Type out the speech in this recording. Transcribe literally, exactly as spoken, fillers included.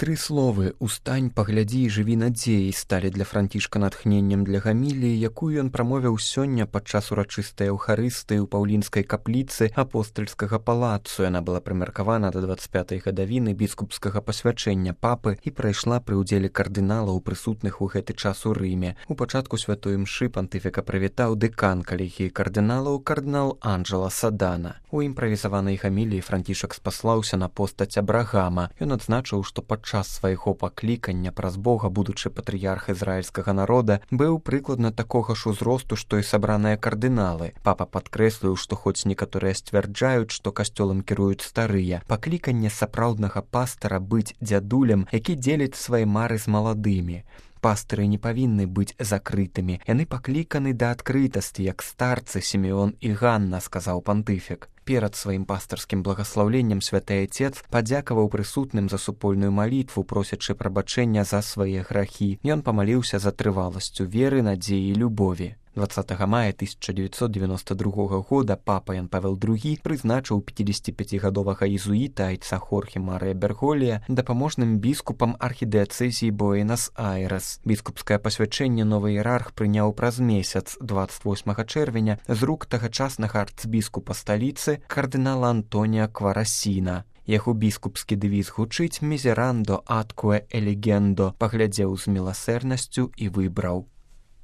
Тры словы «устань, паглядзі і жыві надзеяй» сталі для Францішка натхненнем для гаміліі, якую ён прамовіў сёння падчас урачыстай эўхарыстыі ў паўлінскай капліцы апостальскага палацу. Яна была прымеркавана да дваццаць пятай гадавіны біскупскага пасвячэння папы і прайшла пры ўдзеле кардыналаў, прысутных у гэты час у Рыме. У пачатку святой імшы пантыфіка прывітаў дэкан калегіі кардыналаў кардынал Анджела Садана. У імправізаванай гаміліі Францішак спаслаўся на постаць Абрагама. Ён адзначыў, што падчас час свайго паклікання праз Бога будучы патрыярх ізраільскага народа быў прыкладна такога ж узросту, што і сабраныя кардыналы. Папа падкрэсліў, што хоць некаторыя сцвярджаюць, што касцёлам кіруюць старыя, пакліканне сапраўднага пастара быць дзядулем, які дзеліць свае мары з маладымі. Пастыры не павінны быць закрытымі. Яны пакліканы да адкрытасці, як старцы Сімеон і Ганна, сказаў пантыфік. Перад сваім пастарскім благаслаўленнем святы Айцец падзякаваў прысутным за супольную малітву, просячы прабачэння за свае грахі. Ён памаліўся за трываласцю веры, надзеі і любові. дваццатага мая тысяча дзевяцьсот девяносто другога года папа Ян Павел другі прызначыў пяцідзесяціпяцігадовага езуіта айца Хорхе Марыя Берголія дапаможным біскупам архідыяцэзіі Буэнас-Айрес. Біскупскае пасвячэнне новы іерарх прыняў праз месяц, дваццаць восьмага чэрвеня, з рук тагачаснага арцбіскупа сталіцы кардынала Антоніа Кварасіна. Яго біскупскі дэвіз гучыць «Мізерандо аткуэ элегендо», паглядзеў з міласэрнасцю і выбраў.